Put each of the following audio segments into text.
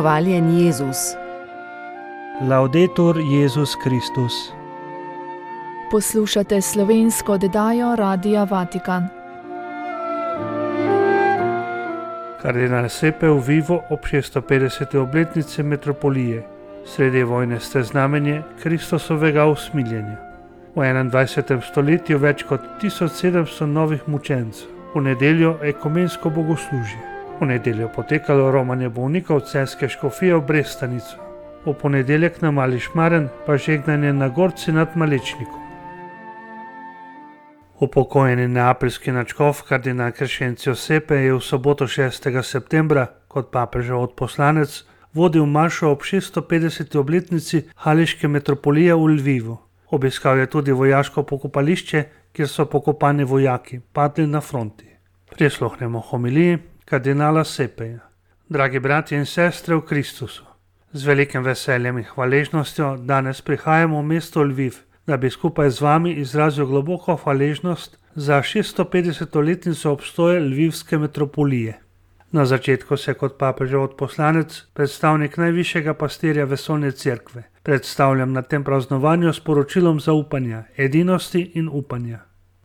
Hvaljen Jezus. Laudetur Jezus Kristus. Poslušate slovensko oddajo Radia Vatikan. Kardinal Sepe v Vivo ob 650. obletnici metropolije. Sredi vojne ste znamenje Kristusovega usmiljenja. V 21. stoletju več kot 1700 novih mučencev. V nedeljo ekumensko bogoslužje. V nedeljo potekalo romanje bolnikov celjske škofije v Brestanico. V ponedeljek na Mali Šmaren pa žegnanje na Gorci nad Malečnikom. Upokojeni neapeljski nadškof kardinal Crescenzio Sepe je v soboto 6. septembra kot papežev odposlanec vodil mašo ob 650. obletnici Hališke metropolije v Lvivu. Obiskal je tudi vojaško pokopališče, kjer so pokopani vojaki, padli na fronti. Prisluhnemo homiliji kardinala Sepeja. Dragi bratje in sestre v Kristusu, z velikim veseljem in hvaležnostjo danes prihajamo v mesto Lviv, da bi skupaj z vami izrazil globoko hvaležnost za 650. letnico obstoja Lvivske metropolije. Na začetku se kot papežev odposlanec, predstavnik najvišjega pastirja vesoljne cerkve, predstavljam na tem praznovanju s poročilom zaupanja, edinosti in upanja.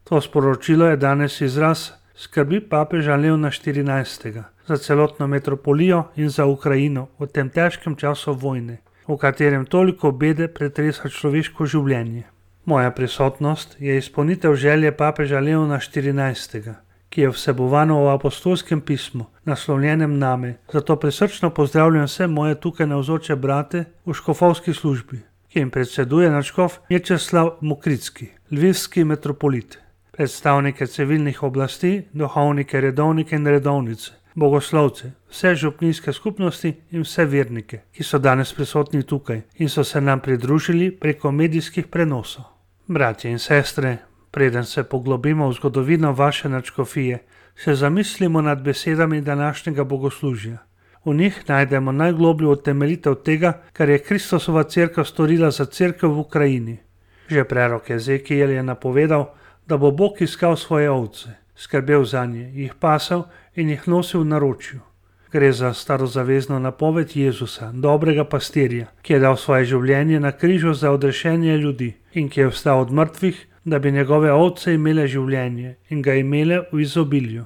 To sporočilo je danes izraz skrbi papeža Leona XIV. Za celotno metropolijo in za Ukrajino v tem težkem času vojne, v katerem toliko bede pretresa človeško življenje. Moja prisotnost je izpolnitev želje papeža Leona XIV., ki je vsebovano v apostolskem pismu, naslovljenem name, zato prisrčno pozdravljam vse moje tukaj navzoče brate v škofovski službi, ki jim predseduje nadškof Mečeslav Mokricki, lvivski metropolit, predstavnike civilnih oblasti, duhovnike, redovnike in redovnice, bogoslovce, vse župnijske skupnosti in vse vernike, ki so danes prisotni tukaj in so se nam pridružili preko medijskih prenosov. Bratje in sestre, preden se poglobimo v zgodovino vaše nadškofije, se zamislimo nad besedami današnjega bogoslužja. V njih najdemo najglobljo utemeljitev tega, kar je Kristusova cerkev storila za cerkev v Ukrajini. Že prerok Ezekijel je napovedal, da bo Bog iskal svoje ovce, skrbel zanje, jih pasal in jih nosil v naročju. Gre za starozavezno napoved Jezusa, dobrega pastirja, ki je dal svoje življenje na križu za odrešenje ljudi in ki je vstal od mrtvih, da bi njegove ovce imele življenje in ga imele v izobilju.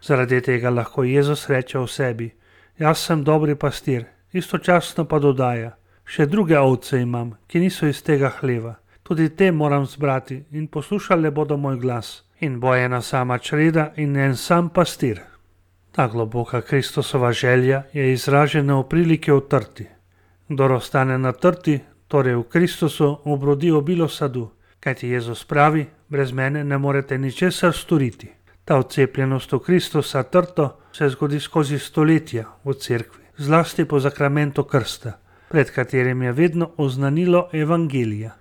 Zaradi tega lahko Jezus reče o sebi: jaz sem dobri pastir, istočasno pa dodaja: še druge ovce imam, ki niso iz tega hleva. Tudi te moram zbrati in poslušale bodo moj glas. In bo ena sama čreda in en sam pastir. Ta globoka Kristusova želja je izražena v priliki o trti. Kdor ostane na trti, torej v Kristusu, obrodi obilo sadu. Kajti Jezus pravi: brez mene ne morete ničesar storiti. Ta vcepljenost v Kristusa trto se zgodi skozi stoletja v cerkvi, zlasti po zakramentu krsta, pred katerim je vedno oznanilo evangelija.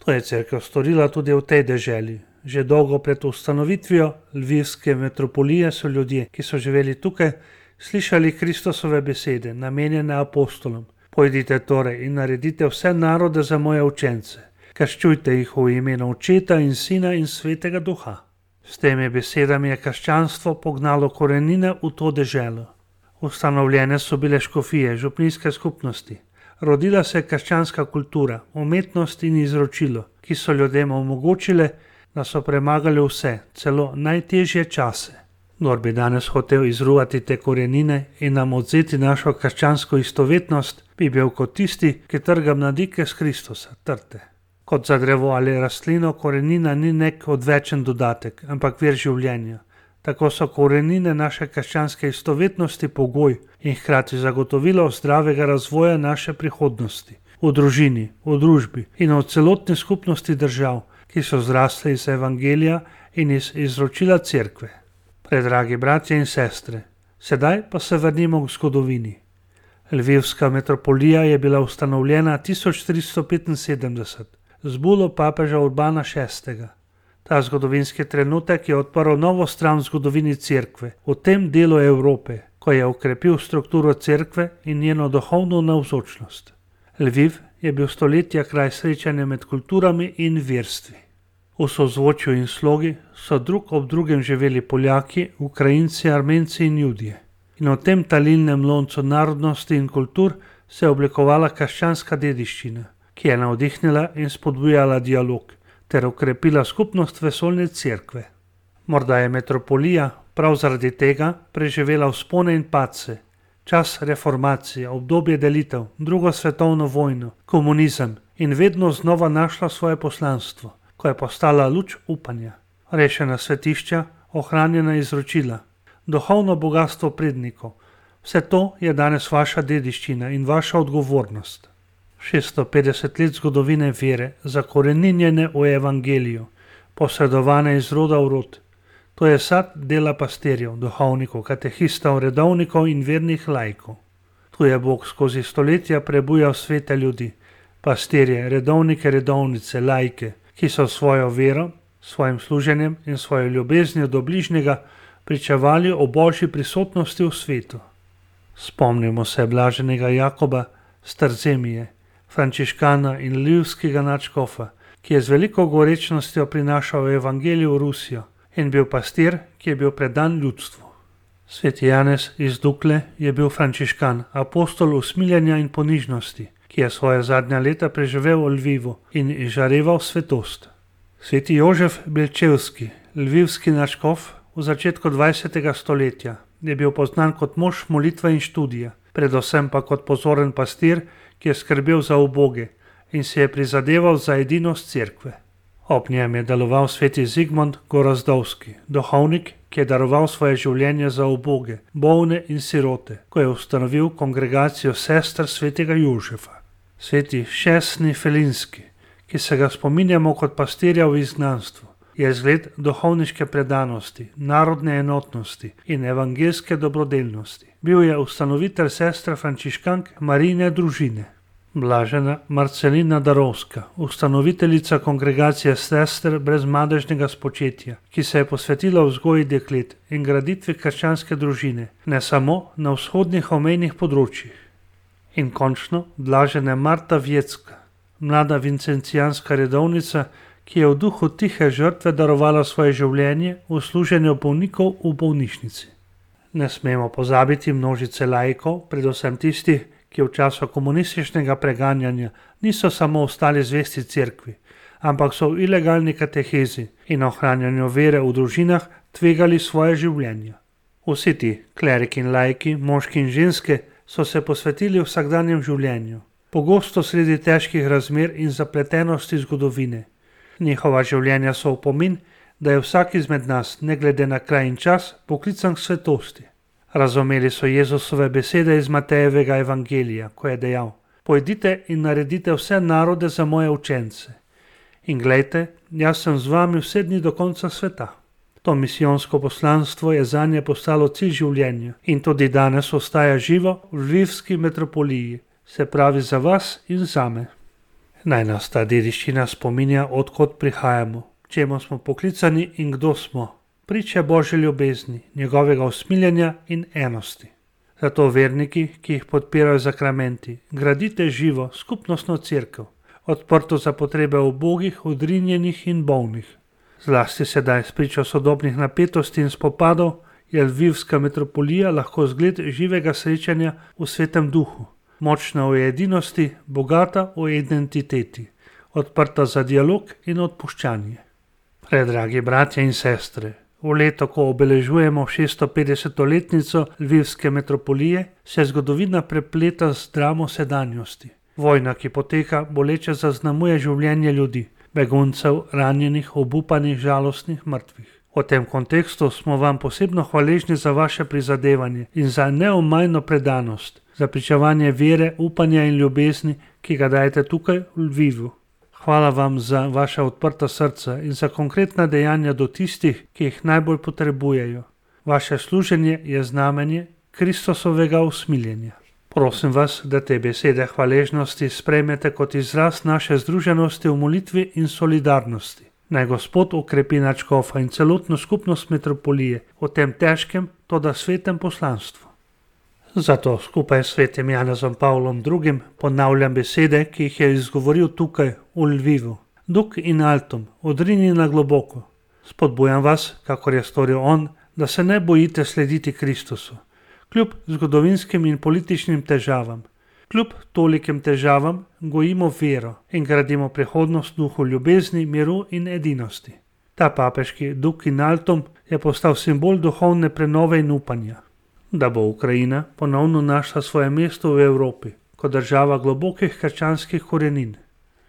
To je cerkev storila tudi v tej deželi. Že dolgo pred ustanovitvijo Lvivske metropolije so ljudje, ki so živeli tukaj, slišali Kristusove besede, namenjene apostolom: pojdite torej in naredite vse narode za moje učence. Krščujte jih v imenu Očeta in Sina in Svetega Duha. S temi besedami je krščanstvo pognalo korenine v to deželo. Ustanovljene so bile škofije, župnijske skupnosti. Rodila se je krščanska kultura, umetnost in izročilo, ki so ljudem omogočile, da so premagali vse, celo najtežje čase. Kdor bi danes hotel izruvati te korenine in nam odzeti našo krščansko istovetnost, bi bil kot tisti, ki trga mladike s Kristusa, trte. Kot za drevo ali rastlino korenina ni nek odvečen dodatek, ampak vir življenja. Tako so korenine naše krščanske istovetnosti pogoj in hkrati zagotovilo zdravega razvoja naše prihodnosti. V družini, v družbi in v celotni skupnosti držav, ki so zrasle iz evangelija in iz izročila cerkve. Predragi bratje in sestre, sedaj pa se vrnimo k zgodovini. Lvivska metropolija je bila ustanovljena 1375 z bulo papeža Urbana VI. Ta zgodovinski trenutek je odprl novo stran v zgodovini cerkve, v tem delu Evrope, ko je okrepil strukturo cerkve in njeno duhovno navzočnost. Lviv je bil stoletja kraj srečanja med kulturami in verstvi. V sozvočju in slogi so drug ob drugem živeli Poljaki, Ukrajinci, Armenci in Judje. In v tem talilnem loncu narodnosti in kultur se je oblikovala krščanska dediščina, ki je navdihnila in spodbujala dialog ter okrepila skupnost vesoljne cerkve. Morda je metropolija prav zaradi tega preživela vzpone in padce, čas reformacije, obdobje delitev, drugo svetovno vojno, komunizem in vedno znova našla svoje poslanstvo, ko je postala luč upanja, rešena svetišča, ohranjena izročila, duhovno bogatstvo prednikov. Vse to je danes vaša dediščina in vaša odgovornost. 650 let zgodovine vere, zakoreninjene v evangeliju, posredovane iz roda v rod. To je sad dela pastirjev, duhovnikov, katehistov, redovnikov in vernih laikov. Tu je Bog skozi stoletja prebujal svete ljudi, pastirje, redovnike, redovnice, laike, ki so svojo vero, svojim služenjem in svojo ljubeznijo do bližnjega pričevali o božji prisotnosti v svetu. Spomnimo se blaženega Jakoba z Tarzemije, frančiškana in lvivskega nadškofa, ki je z veliko gorečnostjo prinašal evangelij v Rusijo in bil pastir, ki je bil predan ljudstvu. Sveti Janez iz Dukle je bil frančiškan, apostol usmiljenja in ponižnosti, ki je svoje zadnja leta preživel v Lvivu in izžareval svetost. Sveti Jožef Belčevski, lvivski nadškof v začetku 20. stoletja, je bil poznan kot mož molitve in študija, predvsem pa kot pozoren pastir, ki je skrbel za uboge in se je prizadeval za edinost cerkve. Ob njem je deloval sveti Zigmund Gorozdovski, duhovnik, ki je daroval svoje življenje za uboge, bolne in sirote, ko je ustanovil kongregacijo sester svetega Jožefa. Sveti Šesni Felinski, ki se ga spominjamo kot pastirja v izgnanstvu, je zgled duhovniške predanosti, narodne enotnosti in evangelske dobrodelnosti. Bil je ustanovitelj sestre frančiškank Marijine družine. Blažena Marcelina Darovska, ustanoviteljica kongregacije sester brez madežnega spočetja, ki se je posvetila vzgoji deklet in graditvi krščanske družine, ne samo na vzhodnih omejnih področjih. In končno blažena Marta Vjecka, mlada vincencijanska redovnica, ki je v duhu tihe žrtve darovala svoje življenje v služenju bolnikov v bolnišnici. Ne smemo pozabiti množice laikov, predvsem tistih, ki v času komunističnega preganjanja niso samo ostali zvesti cerkvi, ampak so v ilegalni katehezi in ohranjanju vere v družinah tvegali svoje življenja. Vsi ti, kleriki in laiki, moški in ženske, so se posvetili vsakdanjem življenju, pogosto sredi težkih razmer in zapletenosti zgodovine. Njihova življenja so opomin, da je vsak izmed nas, ne glede na kraj in čas, poklican k svetosti. Razumeli so Jezusove besede iz Matejevega evangelija, ko je dejal: "Pojdite in naredite vse narode za moje učence. In glejte, jaz sem z vami vse dni do konca sveta." To misijonsko poslanstvo je zanje postalo cilj življenja in tudi danes ostaja živo v lvivski metropoliji, se pravi za vas in zame. Naj nas ta dediščina spominja, odkot prihajamo, k čemu smo poklicani in kdo smo. Priče Božje ljubezni, njegovega usmiljenja in enosti. Zato verniki, ki jih podpirajo zakramenti, gradite živo, skupnostno cerkev, odprto za potrebe ubogih, odrinjenih in bolnih. Zlasti sedaj s pričo sodobnih napetosti in spopadov je lvivska metropolija lahko zgled živega srečanja v svetem duhu, močna v edinosti, bogata v identiteti, odprta za dialog in odpuščanje. Predragi bratje in sestre, v leto, ko obeležujemo 650-letnico lvivske metropolije, se zgodovina prepleta z dramo sedanjosti. Vojna, ki poteka, boleče zaznamuje življenje ljudi, beguncev, ranjenih, obupanih, žalostnih, mrtvih. V tem kontekstu smo vam posebno hvaležni za vaše prizadevanje in za neomajno predanost, za pričevanje vere, upanja in ljubezni, ki ga dajete tukaj v Lvivu. Hvala vam za vaša odprta srca in za konkretna dejanja do tistih, ki jih najbolj potrebujejo. Vaše služenje je znamenje Kristusovega usmiljenja. Prosim vas, da te besede hvaležnosti sprejmete kot izraz naše združenosti v molitvi in solidarnosti. Naj Gospod ukrepi nadškofa in celotno skupnost metropolije v tem težkem, toda svetem poslanstvu. Zato skupaj s svetim Janezom Pavlom II. Ponavljam besede, ki jih je izgovoril tukaj v Lvivu. Duk in altum, odrini na globoko. Spodbujam vas, kakor je storil on, da se ne bojite slediti Kristusu. Kljub zgodovinskim in političnim težavam, kljub tolikim težavam gojimo vero in gradimo prihodnost v duhu ljubezni, miru in edinosti. Ta papeški Duc in Altum je postal simbol duhovne prenove in upanja, da bo Ukrajina ponovno našla svoje mesto v Evropi kot država globokih krščanskih korenin.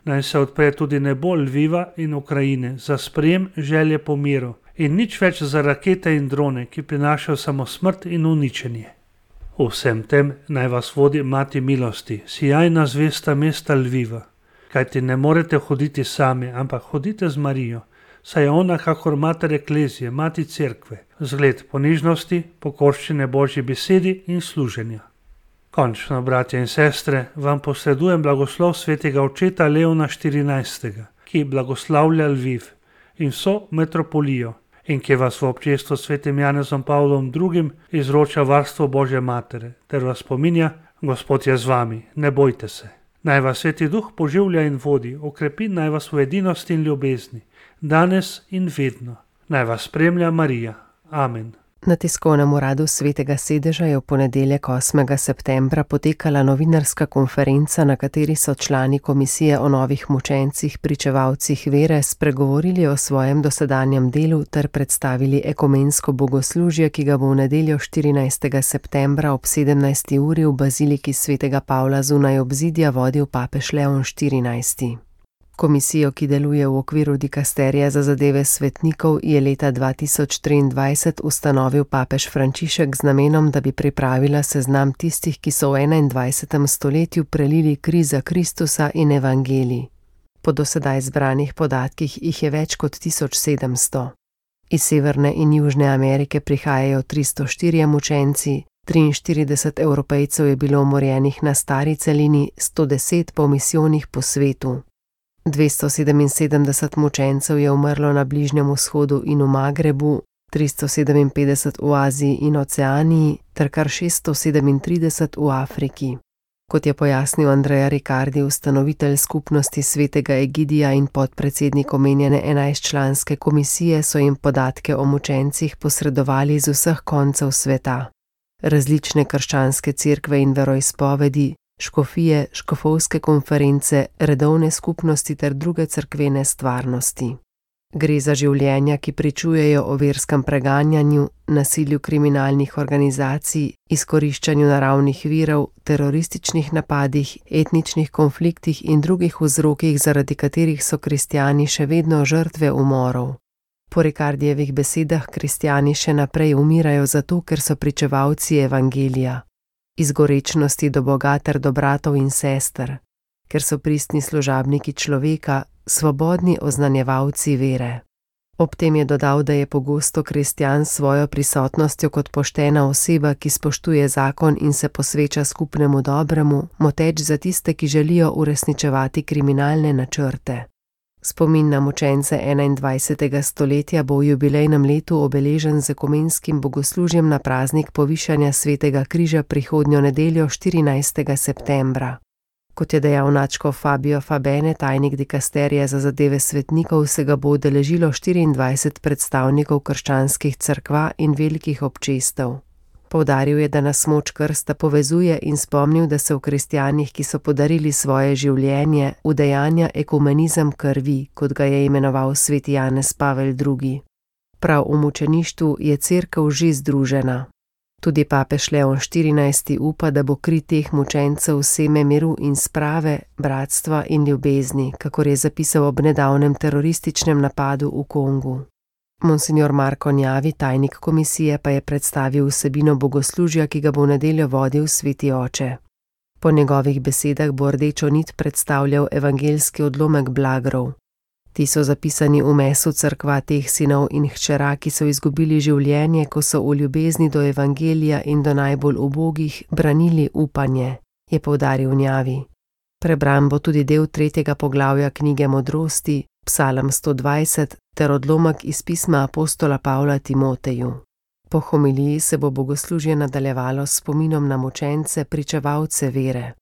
Naj se odpre tudi nebo Lviva in Ukrajine za sprejem želje po miru in nič več za rakete in drone, ki prinašajo samo smrt in uničenje. V vsem tem naj vas vodi Mati milosti, sijajna zvesta mesta Lviva, kajti ne morete hoditi sami, ampak hodite z Marijo, saj je ona kakor mater eklezije, mati cerkve, zgled ponižnosti, pokorščine Božji besedi in služenja. Končno, bratje in sestre, vam posredujem blagoslov svetega očeta Leona XIV, ki blagoslavlja Lviv in vso metropolijo in ki vas v občestvu s svetim Janezom Pavlom II. Izroča varstvo Božje matere, ter vas spominja: Gospod je z vami, ne bojte se. Naj vas Sveti Duh poživlja in vodi, okrepi naj vas v edinosti in ljubezni, danes in vedno. Naj vas spremlja Marija. Amen. Na tiskovnem uradu Svetega sedeža je v ponedeljek 8. septembra potekala novinarska konferenca, na kateri so člani komisije o novih mučencih, pričevalcih vere, spregovorili o svojem dosedanjem delu ter predstavili ekumensko bogoslužje, ki ga bo v nedeljo 14. septembra ob 17. uri v baziliki Svetega Pavla zunaj obzidja vodil papež Leon XIV. Komisijo, ki deluje v okviru dikasterija za zadeve svetnikov, je leta 2023 ustanovil papež Frančišek z namenom, da bi pripravila seznam tistih, ki so v 21. stoletju prelili kri za Kristusa in evangelij. Po dosedaj zbranih podatkih jih je več kot 1700. Iz Severne in Južne Amerike prihajajo 304 mučenci, 43 Evropejcev je bilo umorjenih na stari celini, 110 po misijonih po svetu. 277 mučencev je umrlo na Bližnjem vzhodu in v Magrebu, 357 v Aziji in Oceaniji ter kar 637 v Afriki. Kot je pojasnil Andrea Riccardi, ustanovitelj skupnosti Svetega Egidija in podpredsednik omenjene 11-članske komisije, so jim podatke o mučencih posredovali z vseh koncev sveta. Različne krščanske cerkve in veroizpovedi, škofije, škofovske konference, redovne skupnosti ter druge cerkvene stvarnosti. Gre za življenja, ki pričujejo o verskem preganjanju, nasilju kriminalnih organizacij, izkoriščanju naravnih virov, terorističnih napadih, etničnih konfliktih in drugih vzrokih, zaradi katerih so kristjani še vedno žrtve umorov. Po Ricardijevih besedah kristjani še naprej umirajo zato, ker so pričevalci evangelija. Iz gorečnosti do Boga ter do bratov in sester, ker so pristni služabniki človeka, svobodni oznanjevalci vere. Ob tem je dodal, da je pogosto kristjan s svojo prisotnostjo kot poštena oseba, ki spoštuje zakon in se posveča skupnemu dobremu, moteč za tiste, ki želijo uresničevati kriminalne načrte. Spomin na mučence 21. stoletja bo v jubilejnem letu obeležen z ekumenskim bogoslužjem na praznik povišanja Svetega križa prihodnjo nedeljo 14. septembra. Kot je dejal nadškof Fabio Fabene, tajnik dikasterija za zadeve svetnikov, se ga bo udeležilo 24 predstavnikov krščanskih cerkva in velikih občestev. Poudaril je, da nas moč krsta povezuje in spomnil, da se v kristjanih, ki so podarili svoje življenje, udejanja ekumenizem krvi, kot ga je imenoval sveti Janez Pavel II. Prav v mučeništvu je cerkev že združena. Tudi papež Leon XIV upa, da bo kri teh mučencev seme miru in sprave, bratstva in ljubezni, kakor je zapisal ob nedavnem terorističnem napadu v Kongu. Monsignor Marko Njavi, tajnik komisije, pa je predstavil vsebino bogoslužja, ki ga bo v nedeljo vodil sveti oče. Po njegovih besedah bo rdečo nit predstavljal evangeljski odlomek Blagrov. Ti so zapisani v mesu cerkva teh sinov in hčera, ki so izgubili življenje, ko so v ljubezni do evangelija in do najbolj ubogih branili upanje, je poudaril Njavi. Prebran bo tudi del 3. poglavja knjige Modrosti, Psalm 120 ter odlomek iz pisma apostola Pavla Timoteju. Po homiliji se bo bogoslužje nadaljevalo s spominom na mučence, pričevalce vere.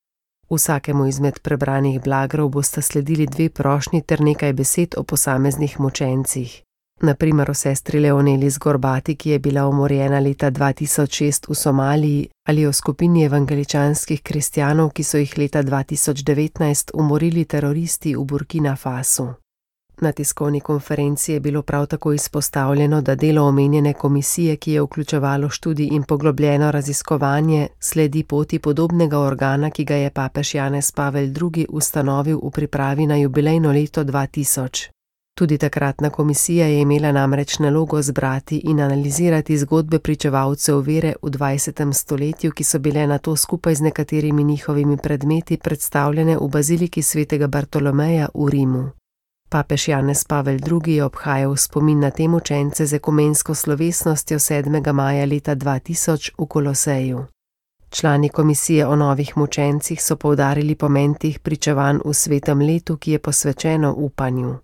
Vsakemu izmed prebranih blagrov bosta sledili 2 prošnji ter nekaj besed o posameznih mučencih. Na primer o sestri Leoneli Zgorbati, ki je bila umorjena leta 2006 v Somaliji, ali o skupini evangeličanskih kristjanov, ki so jih leta 2019 umorili teroristi v Burkina Fasu. Na tiskovni konferenci je bilo prav tako izpostavljeno, da delo omenjene komisije, ki je vključevalo študij in poglobljeno raziskovanje, sledi poti podobnega organa, ki ga je papež Janez Pavel II. Ustanovil v pripravi na jubilejno leto 2000. Tudi takratna komisija je imela namreč nalogo zbrati in analizirati zgodbe pričevalcev vere v 20. stoletju, ki so bile nato skupaj z nekaterimi njihovimi predmeti predstavljene v baziliki svetega Bartolomeja v Rimu. Papež Janez Pavel II. Je obhajal spomin na te mučence z ekumensko slovesnostjo 7. maja leta 2000 v Koloseju. Člani komisije o novih mučencih so poudarili pomen teh pričevanj v svetem letu, ki je posvečeno upanju.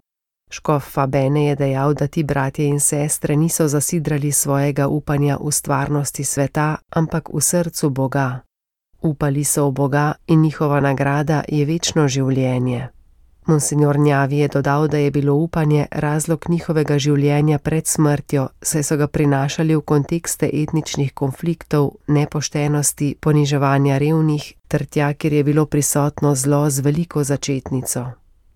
Škof Fabene je dejal, da ti bratje in sestre niso zasidrali svojega upanja v stvarnosti sveta, ampak v srcu Boga. Upali so v Boga in njihova nagrada je večno življenje. Monsignor Njavi je dodal, da je bilo upanje razlog njihovega življenja pred smrtjo, saj so ga prinašali v kontekste etničnih konfliktov, nepoštenosti, poniževanja revnih ter tja, kjer je bilo prisotno zlo z veliko začetnico.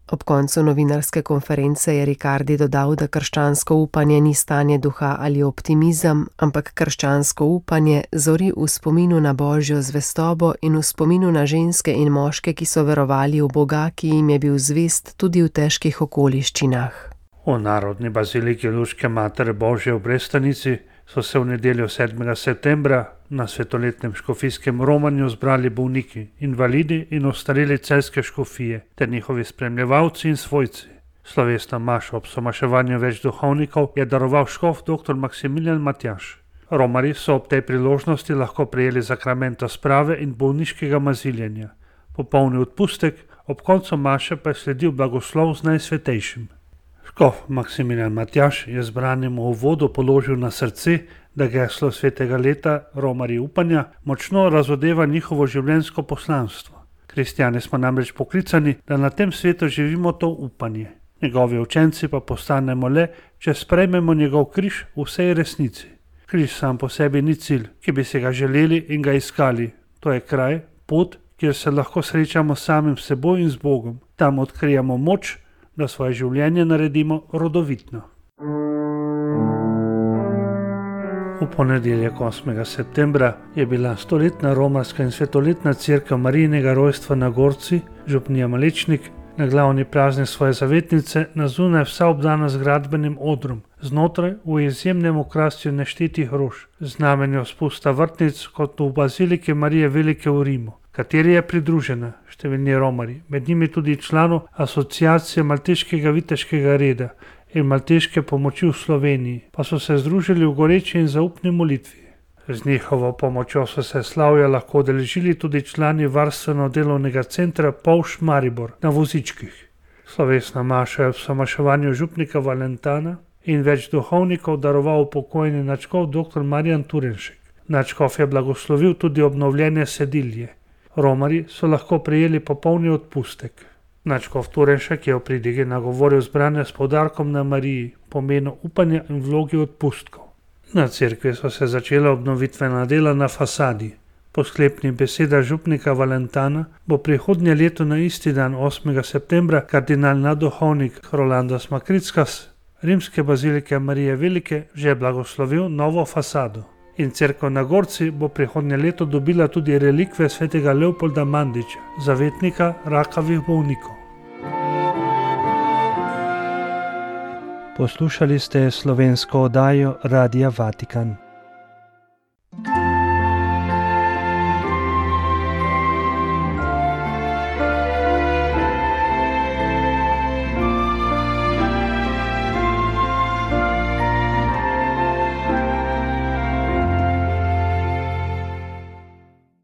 Ob koncu novinarske konference je Ricardi dodal, da krščansko upanje ni stanje duha ali optimizem, ampak krščansko upanje zori v spominu na Božjo zvestobo in v spominu na ženske in moške, ki so verovali v Boga, ki jim je bil zvest tudi v težkih okoliščinah. V Narodni baziliki Luške Matere Božje v Brestanici so se v nedeljo 7. septembra na svetoletnem škofijskem romanju zbrali bolniki, invalidi in ostareli celjske škofije ter njihovi spremljevalci in svojci. Slovesno mašo ob somaševanju več duhovnikov je daroval škof dr. Maksimilijan Matjaž. Romarji so ob tej priložnosti lahko prejeli sakramento sprave in bolniškega maziljenja. Popolni odpustek, ob koncu maše pa je sledil blagoslov z Najsvetejšim. Škof Maksimilijan Matjaž je zbranemu uvodu položil na srce, da geslo svetega leta Romarji upanja močno razodeva njihovo življenjsko poslanstvo. Kristjani smo namreč poklicani, da na tem svetu živimo to upanje. Njegovi učenci pa postanemo le, če sprejmemo njegov križ v vsej resnici. Križ sam po sebi ni cilj, ki bi se ga želeli in ga iskali. To je kraj, pot, kjer se lahko srečamo s samim seboj in z Bogom. Tam odkrijemo moč, da svoje življenje naredimo rodovitno. V ponedeljek 8. septembra je bila stoletna romarska in svetoletna cerkev Marijinega rojstva na Gorci, župnija Malečnik, na glavni praznik svoje zavetnice na zunaj vsa obdana z gradbenim odrom, znotraj v izjemnem okrasju neštetih rož, znamenjo spusta vrtnic kot v baziliki Marije Velike v Rimu, kateri je pridružena številni romarji, med njimi tudi članov asociacije Malteškega viteškega reda in Malteške pomoči v Sloveniji, pa so se združili v goreči in zaupni molitvi. Z njihovo pomočjo so se slavja lahko udeležili tudi člani varstveno-delovnega centra Povš Maribor na vozičkih. Slovesna maša je ob somaševanju župnika Valentana in več duhovnikov daroval pokojni nadškof dr. Marjan Turenšek. Nadškof je blagoslovil tudi obnovljene sedilje. Romarji so lahko prejeli popolni odpustek. Nadškof Turenšek je v pridigi nagovoril zbrane s poudarkom na Mariji, pomenu upanja in vlogi odpustkov. Na cerkvi so se začela obnovitvena dela na fasadi. Po sklepnih besedah župnika Valentana bo prihodnje leto na isti dan 8. septembra kardinal nadduhovnik Rolandas Makrickas rimske bazilike Marije Velike že blagoslovil novo fasado. In cerkev na Gorci bo prihodnje leto dobila tudi relikve svetega Leopolda Mandiča, zavetnika rakavih bolnikov. Poslušali ste slovensko oddajo Radia Vatikan.